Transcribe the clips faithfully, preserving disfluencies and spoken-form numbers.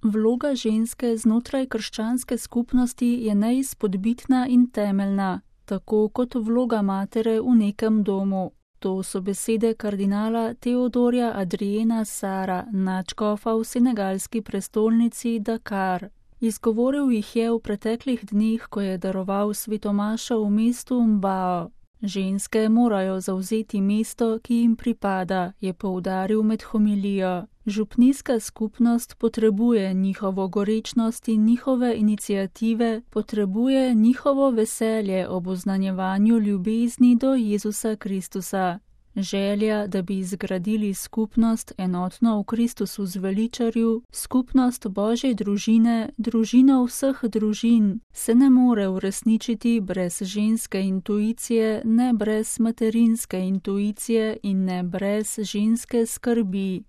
Vloga ženske znotraj krščanske skupnosti je neizpodbitna in temeljna, tako kot vloga matere v nekem domu. To so besede kardinala Teodorja Adriena Sara, nadškofa v senegalski prestolnici Dakar. Izgovoril jih je v preteklih dneh, ko je daroval svetomašo v mestu Mbao. Ženske morajo zavzeti mesto, ki jim pripada, je poudaril med homilijo. Župnijska skupnost potrebuje njihovo gorečnost in njihove iniciative, potrebuje njihovo veselje ob oznanjevanju ljubezni do Jezusa Kristusa. Želja, da bi zgradili skupnost enotno v Kristusu zveličarju, skupnost Božje družine, družino vseh družin, se ne more uresničiti brez ženske intuicije, ne brez materinske intuicije in ne brez ženske skrbi.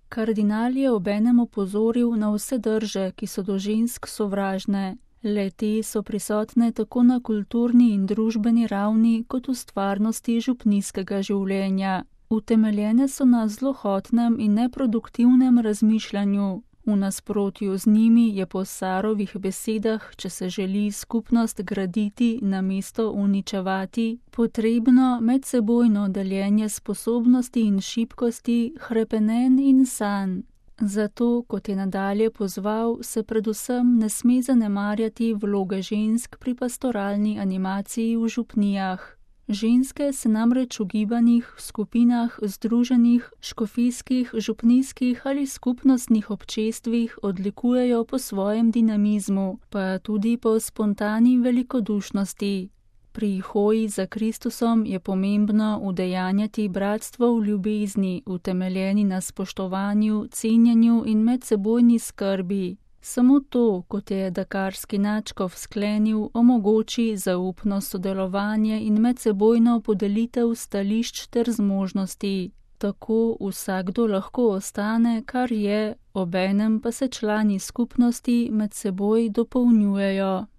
Kardinal je obenem opozoril na vse drže, ki so do žensk sovražne. Le-te so prisotne tako na kulturni in družbeni ravni, kot v stvarnosti župnijskega življenja. Utemeljene so na zlohotnem in neproduktivnem razmišljanju. V nasprotju z njimi je po Sarovih besedah, če se želi skupnost graditi namesto uničevati, potrebno medsebojno deljenje sposobnosti in šibkosti, hrepenenj in sanj. Zato, kot je nadalje pozval, se predvsem ne sme zanemarjati vloge žensk pri pastoralni animaciji v župnijah. Ženske se namreč v gibanjih, skupinah, združenjih, škofijskih, župnijskih ali skupnostnih občestvih odlikujejo po svojem dinamizmu, pa tudi po spontani velikodušnosti. Pri hoji za Kristusom je pomembno udejanjati bratstvo v ljubezni, utemeljeni na spoštovanju, cenjenju in medsebojni skrbi. Samo to, kot je dakarski nadškof sklenil, omogoči zaupno sodelovanje in medsebojno podelitev stališč ter zmožnosti. Tako vsakdo lahko ostane, kar je, obenem pa se člani skupnosti med seboj dopolnjujejo.